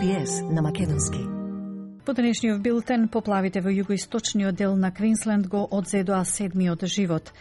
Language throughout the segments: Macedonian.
SBS на македонски. По денешниот билтен, поплавите во југоисточниот дел на Квинсленд го одзедоа 7-миот живот.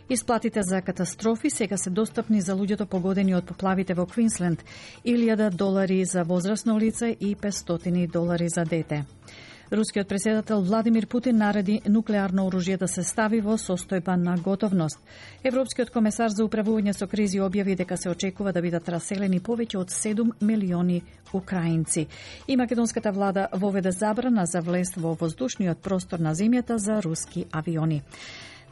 Исплатите за катастрофи сега се достапни за луѓето погодени од поплавите во Квинсленд, $1,000 за возрасно лице и $500 за дете. Рускиот претседател Владимир Путин нареди нуклеарно оружје да се стави во состојба на готовност. Европскиот комесар за управување со кризи објави дека се очекува да бидат раселени повеќе од 7 милиони украинци. И македонската влада воведе забрана за влез во воздушниот простор на земјата за руски авиони.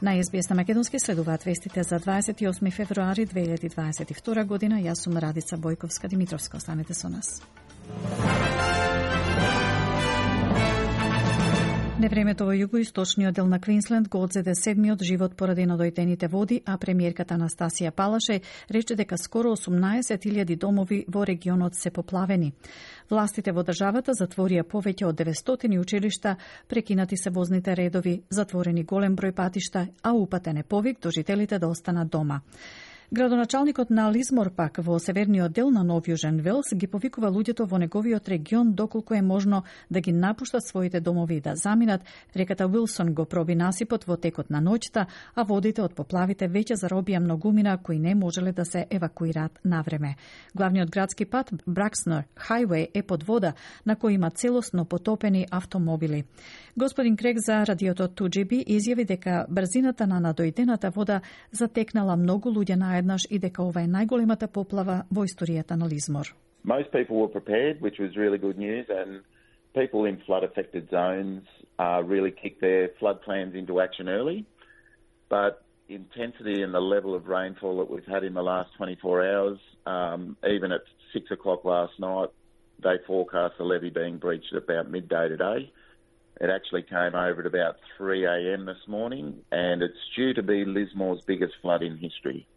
На СБС на македонски следуваат вестите за 28 февруари 2022 година. Јас сум Радица Бојковска-Димитровска. Останете со нас. Невремето во југоисточниот дел на Квинсленд го одзеде 7-миот живот поради надојдените води, а премиерката Анастасија Палаше рече дека скоро 18.000 домови во регионот се поплавени. Властите во државата затворија повеќе од 900 училишта, прекинати се возните редови, затворени голем број патишта, а упатен е повик до жителите да останат дома. Градоначалникот на Лизмор пак во северниот дел на Нов Јужен Велс ги повикува луѓето во неговиот регион доколку е можно да ги напуштат своите домови и да заминат. Реката Уилсон го проби насипот во текот на ноќта, а водите од поплавите веќе заробија многумина кои не можеле да се евакуираат навреме. Главниот градски пат Бракснер Хајвеј е под вода, на кој има целосно потопени автомобили. Господин Крек за радиото 2GB изјави дека брзината на надојдената вода затекнала многу луѓе наеднаш и дека ова е најголемата поплава во историјата на Лизмор. Most people were prepared, which was really good news, and people in flood-affected zones really kicked their flood plans into action early. But intensity and the level of rainfall that we've had in the last 24 hours, even at 6 o'clock last night, they forecast the levee being breached at about midday today. It actually came over at about 3 a.m. this morning, and it's due to be Lismore's biggest flood in history.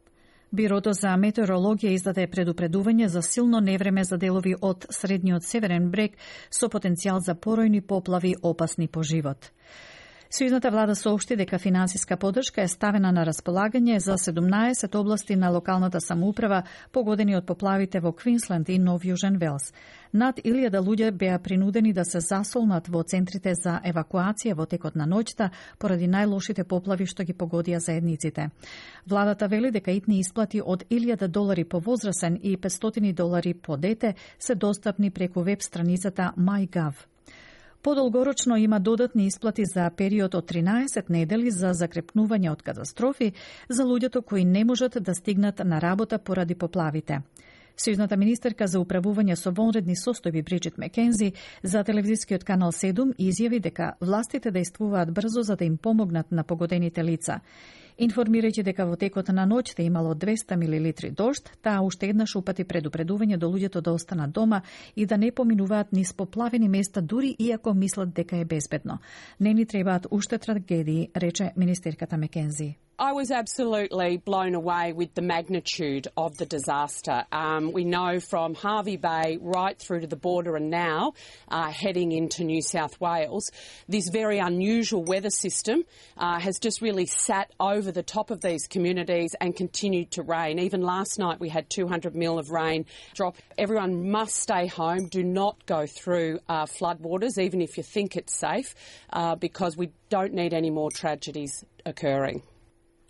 Бирото за метеорологија издаде предупредување за силно невреме за делови од средниот северен брег со потенцијал за поројни поплави опасни по живот. Сојузната влада соопшти дека финансиска поддршка е ставена на располагање за 17 области на локалната самоуправа погодени од поплавите во Квинсленд и Нов Јужен Велс. Над 1000 луѓе беа принудени да се засолнат во центрите за евакуација во текот на ноќта поради најлошите поплави што ги погодија заедниците. Владата вели дека итни исплати од $1,000 по возрасен и $500 по дете се достапни преку веб страницата MyGov. Подолгорочно има додатни исплати за период од 13 недели за закрепнување од катастрофи за луѓето кои не можат да стигнат на работа поради поплавите. Сојузната министерка за управување со вонредни состојби Бриджит Маккензи за телевизискиот канал 7 изјави дека властите действуваат брзо за да им помогнат на погодените лица. Информирајќи дека во текот на ноќта имало 200 милилитри дожд, таа уште еднаш упати предупредување до луѓето да останат дома и да не поминуваат низ поплавени места дури иако мислат дека е безбедно. Не ни требаат уште трагедии, рече министерката Маккензи. I was absolutely blown away with the magnitude of the disaster. We know from Harvey Bay right through to the border and now heading into New South Wales, this very unusual weather system has just really sat over the top of these communities and continued to rain. Even last night we had 200 mil of rain drop. Everyone must stay home. Do not go through floodwaters, even if you think it's safe, because we don't need any more tragedies occurring.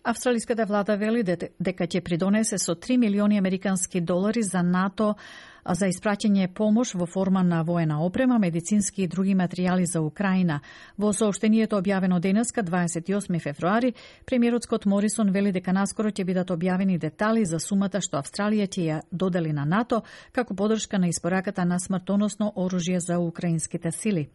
Австралиската влада вели дека ќе придонесе со $3 милиони американски за НАТО за испраќање помош во форма на воена опрема, медицински и други материјали за Украина. Во соопштението објавено денеска, 28 февруари, премиерот Скот Морисон вели дека наскоро ќе бидат објавени детали за сумата што Австралија ќе ја додели на НАТО како поддршка на испораката на смртоносно оружје за украинските сили.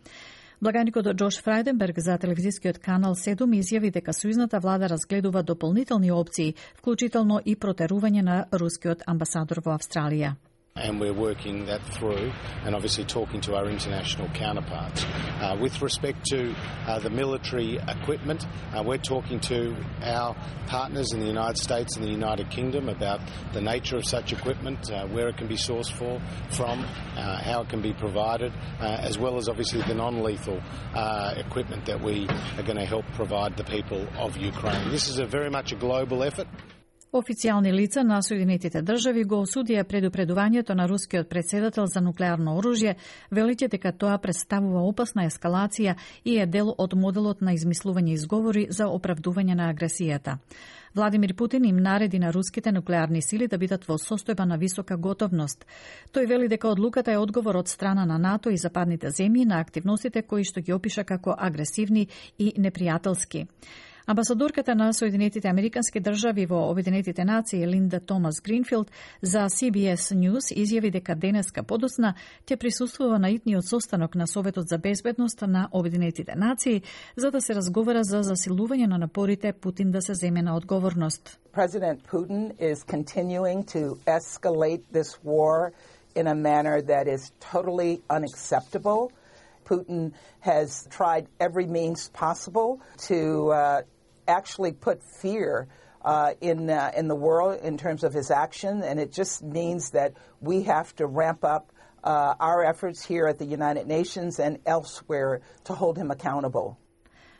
Благаникот Джош Фрајденберг за телевизискиот канал 7 изјави дека сојузната влада разгледува дополнителни опции, вклучително и протерување на рускиот амбасадор во Австралија. And we're working that through and obviously talking to our international counterparts. With respect to the military equipment, we're talking to our partners in the United States and the United Kingdom about the nature of such equipment, where it can be sourced from, how it can be provided, as well as obviously the non-lethal equipment that we are going to help provide the people of Ukraine. This is very much a global effort. Официјални лица на Соединетите држави го осудија предупредувањето на рускиот претседател за нуклеарно оружје, велејќи дека тоа представува опасна ескалација и е дел од моделот на измислување изговори за оправдување на агресијата. Владимир Путин им нареди на руските нуклеарни сили да бидат во состојба на висока готовност. Тој вели дека одлуката е одговор од страна на НАТО и западните земји на активностите кои што ги опиша како агресивни и непријателски. Амбасадорката на Соединетите Американски држави во Обединетите нации Линда Томас Гринфилд за CBS News изјави дека денеска подоцна ќе присуствува на итниот состанок на Советот за безбедност на Обединетите нации за да се разговара за засилување на напорите Путин да се земе на одговорност. President Putin is continuing to escalate this war in a manner that is totally unacceptable. Putin has tried every means possible to actually put fear in the world in terms of his action, and it just means that we have to ramp up our efforts here at the United Nations and elsewhere to hold him accountable.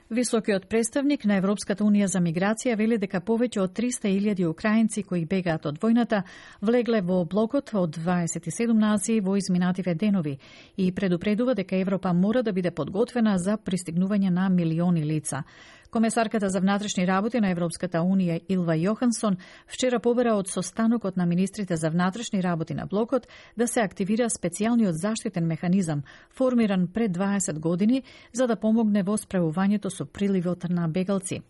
Високиот представник на Европската унија за миграција вели дека повеќе од 300.000 украинци кои бегаат од војната влегле во блокот од 27 нации во изминативе денови и предупредува дека Европа мора да биде подготвена за пристигнување на милиони лица. Комесарката за внатрешни работи на Европската унија Илва Јохансон вчера побара од состанокот на министрите за внатрешни работи на блокот да се активира специјалниот заштитен механизам, формиран пред 20 години, за да помогне во справувањето со приливот на бегалци.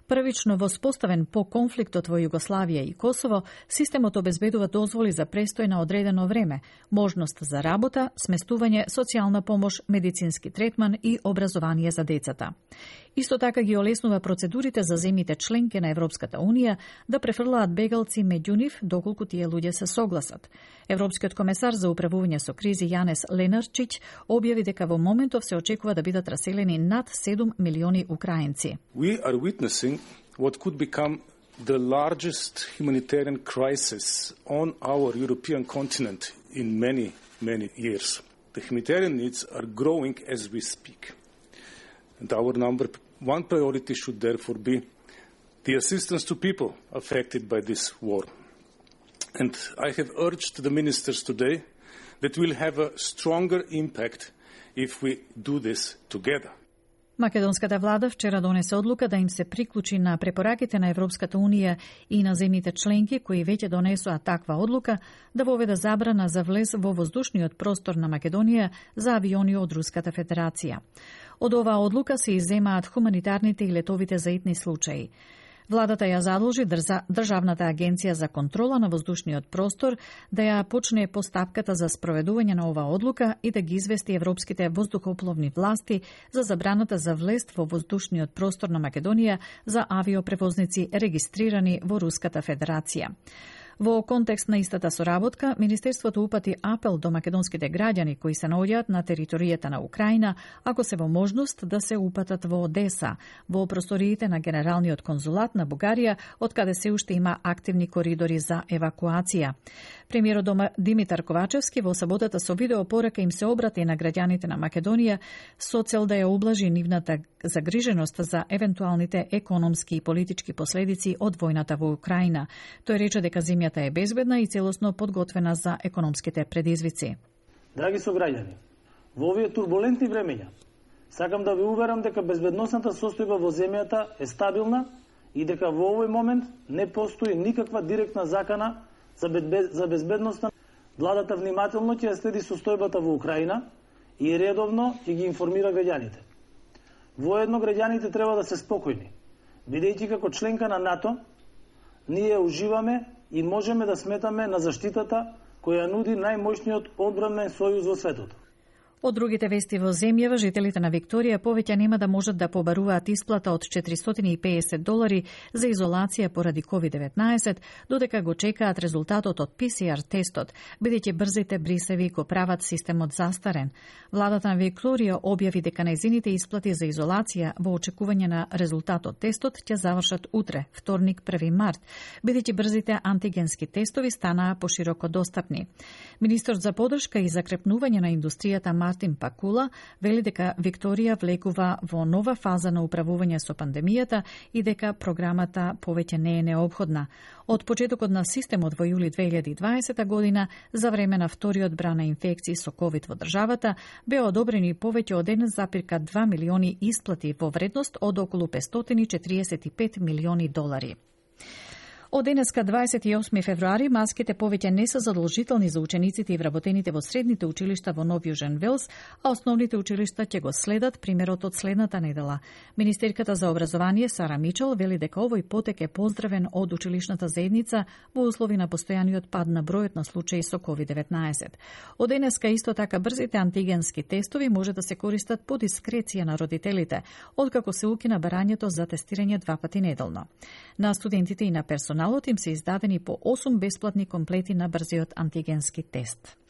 Првично воспоставен по конфликтот во Југославија и Косово, системот обезбедува дозволи за престој на одредено време, можност за работа, сместување, социјална помош, медицински третман и образование за децата. Исто така ги олеснува процедурите за земјите членки на Европската унија да префрлаат бегалци меѓу нив доколку тие луѓе се согласат. Европскиот комесар за управување со кризи Јанес Ленарчич објави дека во моментов се очекува да бидат раселени над 7 милиони украинци. We are witnessing what could become the largest humanitarian crisis on our European continent in many years. The humanitarian needs are growing as we speak. And our number one priority should therefore be the assistance to people affected by this war. And I have urged the ministers today that we'll have a stronger impact if we do this together. Македонската влада вчера донесе одлука да им се приклучи на препораките на Европската унија и на земјите членки кои веќе донесоа таква одлука да воведе забрана за влез во воздушниот простор на Македонија за авиони од Руската Федерација. Од оваа одлука се изземаат хуманитарните и летовите за итни случаи. Владата ја задолжи Државната агенција за контрола на воздушниот простор да ја почне постапката за спроведување на оваа одлука и да ги извести европските воздухопловни власти за забраната за влез во воздушниот простор на Македонија за авиопревозници регистрирани во Руската Федерација. Во контекст на истата соработка, Министерството упати апел до македонските граѓани кои се наоѓаат на територијата на Украина, ако се во можност да се упатат во Одеса, во просториите на Генералниот конзулат на Бугарија, од каде се уште има активни коридори за евакуација. Премиерот Димитар Ковачевски во саботата со видеопорака им се обрати на граѓаните на Македонија со цел да ја ублажи нивната загриженост за евентуалните економски и политички последици од војната во Украина. Тој рече дека земјата е безбедна и целосно подготвена за економските предизвици. Драги сограѓани, во овие турбулентни времења сакам да ви уверам дека безбедносната состојба во земјата е стабилна и дека во овој момент не постои никаква директна закана за безбедноста. Владата внимателно ќе ја следи состојбата во Украина и редовно ќе ги информира граѓаните. Воедно граѓаните треба да се спокојни, бидејќи како членка на НАТО ние уживаме и можеме да сметаме на заштитата која нуди најмоćниот одбранен сојуз во светот. Од другите вести во земјава, жителите на Викторија повеќе нема да можат да побаруваат исплата од $450 за изолација поради COVID-19, додека го чекаат резултатот од PCR тестот, бидејќи брзите брисеви го прават системот застарен. Владата на Викторија објави дека нејзините исплати за изолација во очекување на резултатот тестот ќе завршат утре, вторник 1 март, бидејќи брзите антигенски тестови станаа пошироко достапни. Министрот за поддршка и закрепнување на индустријата Мартин Пакула вели дека Викторија влегува во нова фаза на управување со пандемијата и дека програмата повеќе не е неопходна. Од почетокот на системот во јули 2020 година, за време на вториот брана инфекции со COVID во државата, беа одобрени повеќе од 1,2 милиони исплати во вредност од околу 545 милиони долари. Од денеска 28 февруари маските повеќе не се задолжителни за учениците и вработените во средните училишта во Нов Јужен Велс, а основните училишта ќе го следат примерот од следната недела. Министерката за образование Сара Мичел вели дека овој потек е поздравен од училишната заедница во услови на постојаниот пад на бројот на случаи со COVID-19. Од денеска исто така брзите антигенски тестови може да се користат по дискреција на родителите, откако се укина барањето за тестирање 2 пати неделно. На студентите и на персоналот им се издадени по 8 бесплатни комплети на брзиот антигенски тест.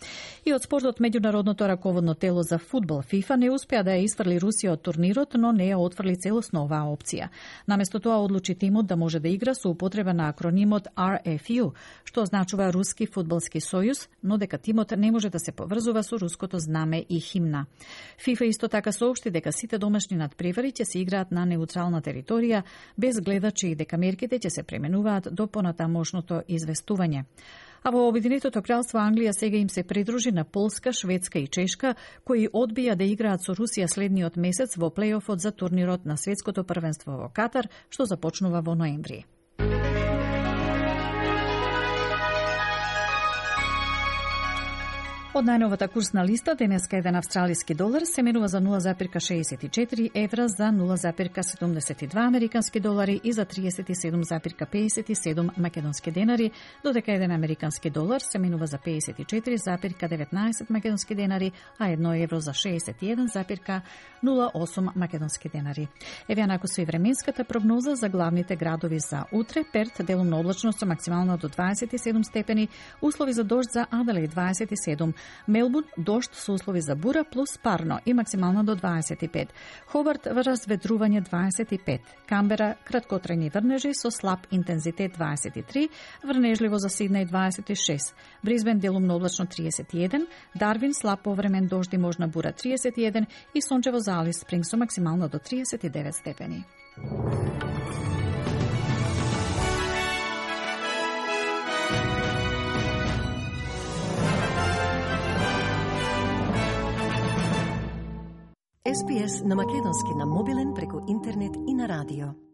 И од спортот, меѓународното раководно тело за фудбал ФИФА не успеа да ја изврли Русија од турнирот, но не ја отфрли целосно оваа опција. Наместо тоа одлучи тимот да може да игра со употреба на акронимот RFU, што означува Руски фудбалски сојуз, но дека тимот не може да се поврзува со руското знаме и химна. ФИФА исто така соопшти дека сите домашни надпревари ќе се играат на неутрална територија, без гледачи и дека мерките ќе се пременуваат до понатамошното известување. А во Обединетото кралство Англија сега им се придружи на Полска, Шведска и Чешка, кои одбија да играат со Русија следниот месец во плејофот за турнирот на светското првенство во Катар, што започнува во ноември. Од најновата курсна листа, денеска еден австралиски долар се менува за 0,64 евра, за 0,72 американски долари и за 37,57 македонски денари, додека еден американски долар се менува за 54,19 македонски денари, а 1 евро за 61,08 македонски денари. Еве анако со и временската прогноза за главните градови за утре: Перт делумно облачно со максимално до 27 степени, услови за дожд за Аделаид 27, Мелбурн дожд со услови за бура плюс парно и максимално до 25. Хобарт разветрување 25. Камбера краткотрајни врнежи со слаб интензитет 23, врнежливо за Сиднеј 26. Бризбен делумно облачно 31, Дарвин слаб повремен дожд и можна бура 31 и сончево за Алис Спрингс со максимално до 39 степени. SPS на македонски на мобилен преку интернет и на радио.